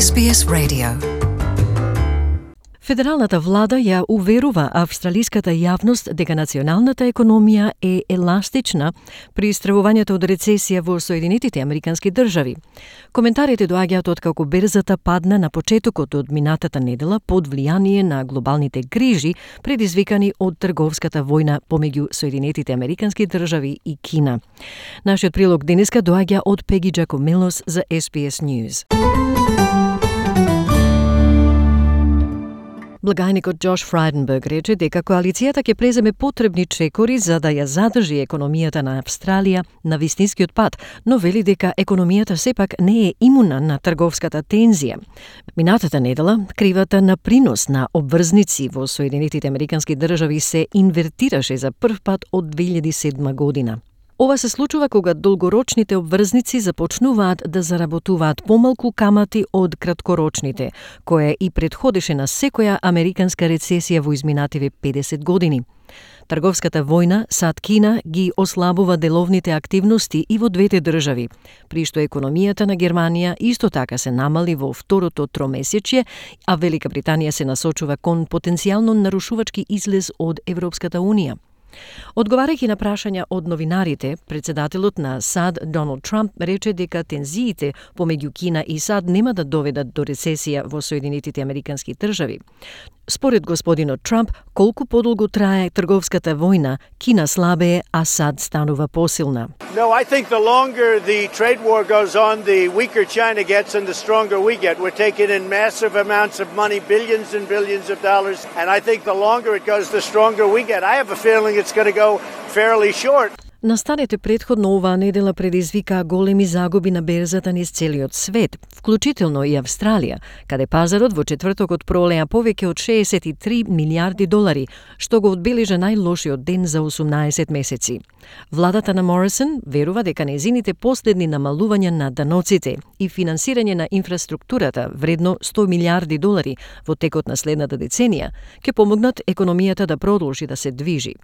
SBS Radio. Федералната влада ја уверува австралиската јавност дека националната економија е еластична при истравувањето од рецесија во Соединетите Американски држави. Коментарите доаѓаат откако берзата падна на почетокот од минатата недела под влијание на глобалните грижи предизвикани од трговската војна помеѓу Соединетите Американски држави и Кина. Нашиот прилог денеска доаѓа од Пеги Джакомелос за SBS News. Благајникот Джош Фрайденберг рече дека коалицијата ќе преземе потребни чекори за да ја задржи економијата на Австралија на вистинскиот пат, но вели дека економијата сепак не е имуна на трговската тензија. Минатата недела, кривата на принос на обврзници во Соединетите Американски држави се инвертираше за прв пат од 2007 година. Ова се случува кога долгорочните обврзници започнуваат да заработуваат помалку камати од краткорочните, кое и предходеше на секоја американска рецесија во изминативе 50 години. Трговската војна САД-Кина ги ослабува деловните активности и во двете држави, при што економијата на Германија исто така се намали во второто тромесечје, а Велика Британија се насочува кон потенцијално нарушувачки излез од Европската Унија. Одговарајќи на прашања од новинарите, председателот на САД Доналд Трамп рече дека тензиите помеѓу Кина и САД нема да доведат до рецесија во Соединетите Американски држави. Според господинот Трамп, колку подолго трае трговската војна, Кина слабее, а САД станува посилна. No, I think the longer the trade war goes on, the weaker China gets and the stronger we get. We're taking in massive amounts of money, billions and billions of dollars, and I think the longer it goes, the stronger we get. I have a feeling it's going to go fairly short. Настаните предходно оваа недела предизвикаа големи загуби на берзата низ целиот свет, вклучително и Австралија, каде пазарот во четвртокот пролеа повеќе од 63 милиарди долари, што го одбележа најлошиот ден за 18 месеци. Владата на Морисон верува дека нејзините последни намалувања на даноците и финансирање на инфраструктурата вредно 100 милиарди долари во текот на следната деценија ќе помогнат економијата да продолжи да се движи.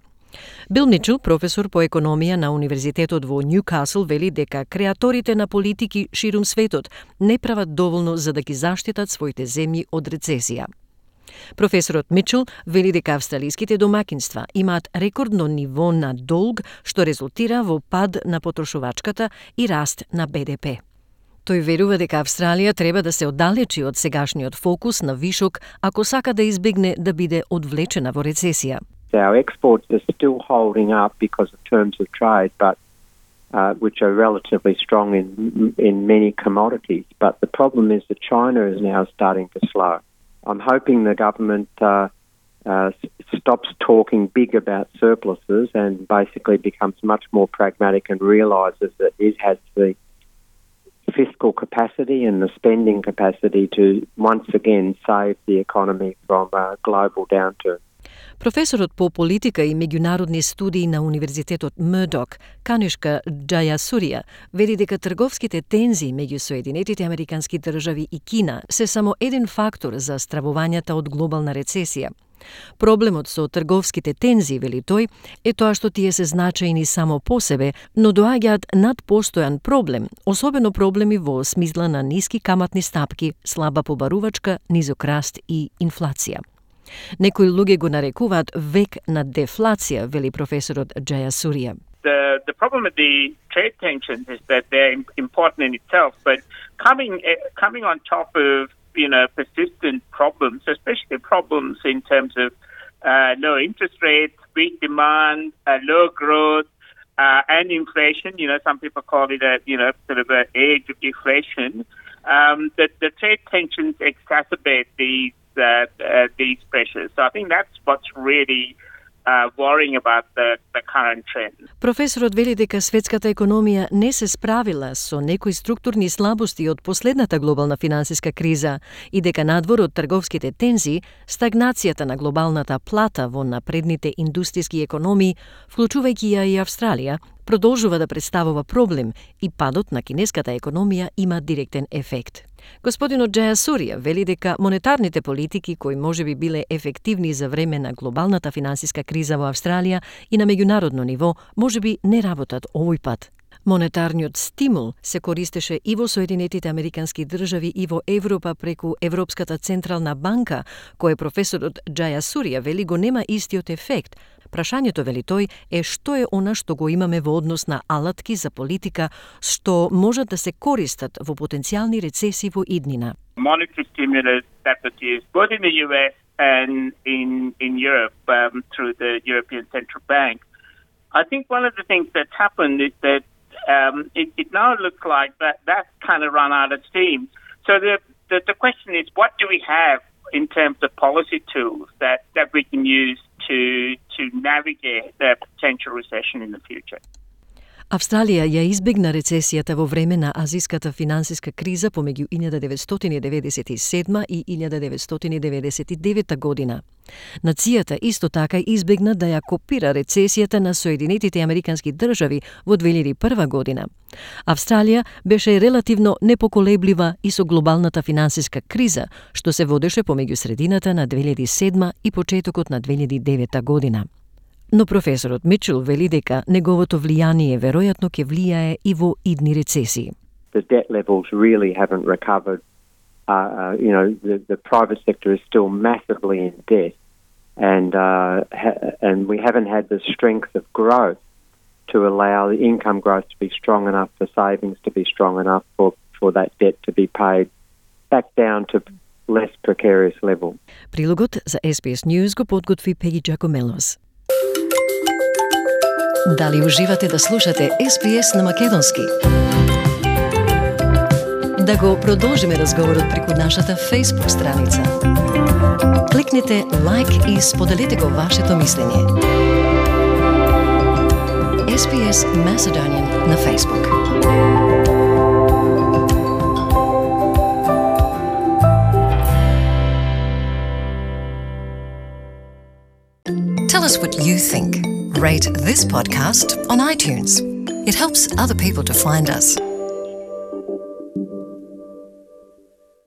Бил Мичел, професор по економија на Универзитетот во Нјукасл, вели дека креаторите на политики ширум светот не прават доволно за да ги заштитат своите земји од рецесија. Професорот Мичел вели дека австралиските домакинства имаат рекордно ниво на долг, што резултира во пад на потрошувачката и раст на БДП. Тој верува дека Австралија треба да се оддалечи од сегашниот фокус на вишок ако сака да избегне да биде одвлечена во рецесија. Our exports are still holding up because of terms of trade, but which are relatively strong in many commodities. But the problem is that China is now starting to slow. I'm hoping the government stops talking big about surpluses and basically becomes much more pragmatic and realises that it has the fiscal capacity and the spending capacity to once again save the economy from a global downturn. Професорот по политика и меѓународни студии на Универзитетот Мурдок, Канишка Джајасурија, вели дека трговските тензии меѓу Соединетите Американски држави и Кина се само еден фактор за стравувањата од глобална рецесија. Проблемот со трговските тензии, вели тој, е тоа што тие се значајни само по себе, но доаѓаат над постојан проблем, особено проблеми во смисла на ниски каматни стапки, слаба побарувачка, низок раст и инфлација. Некои луѓе го нарекуваат век на дефлација, вели професорот Джајасурија. The problem with the trade tensions is that they're important in itself, but coming on top of persistent problems, especially problems in terms of low interest rates, weak demand, low growth, and inflation. Some people call it a sort of an age of deflation. The trade tensions exacerbate these pressures. So I think that's what's really worrying about the current trend. Професорот вели дека светската економија не се справила со некои структурни слабости од последната глобална финансиска криза и дека надвор од трговските тензии, стагнацијата на глобалната плата во напредните индустријски економии, вклучувајќи ја и Австралија, продолжува да представува проблем и падот на кинеската економија има директен ефект. Господинот Джајасурија вели дека монетарните политики кои можеби биле ефективни за време на глобалната финансиска криза во Австралија и на меѓународно ниво можеби не работат овој пат. Монетарниот стимул се користеше и во Соединетите Американски држави и во Европа преку Европската централна банка, кој професорот Джаја Сурија вели го нема истиот ефект. Прашањето, вели тој, е што е она што го имаме во однос на алатки за политика што можат да се користат во потенцијални рецесии во иднина. Monetary stimulus that was used both in the US and in Europe through the European Central Bank. I think one of the things that's happened is that it now looks like that's kind of run out of steam. So the question is, what do we have in terms of policy tools that we can use to navigate the potential recession in the future? Австралија ја избегна рецесијата во време на азиската финансиска криза помеѓу 1997 и 1999 година. Нацијата исто така избегна да ја копира рецесијата на Соединетите Американски држави во 2001 година. Австралија беше релативно непоколеблива и со глобалната финансиска криза, што се водеше помеѓу средината на 2007 и почетокот на 2009 година. Но професорот Мичел вели дека неговото влијание веројатно ќе влијае и во идни рецесии. The debt levels really haven't recovered. The private sector is still massively in debt, and we haven't had the strength of growth to allow the income growth to be strong enough, for savings to be strong enough for that debt to be paid back down to less precarious level. Прилогот за SBS News го подготви Пеги Джакомелос. Дали уживате да слушате SBS на македонски? Да го продолжиме разговорот преку нашата Facebook страница. Кликнете лайк и споделете го вашето мислење. SBS Macedonian на Facebook. Tell us what you think. Rate this podcast on iTunes. It helps other people to find us.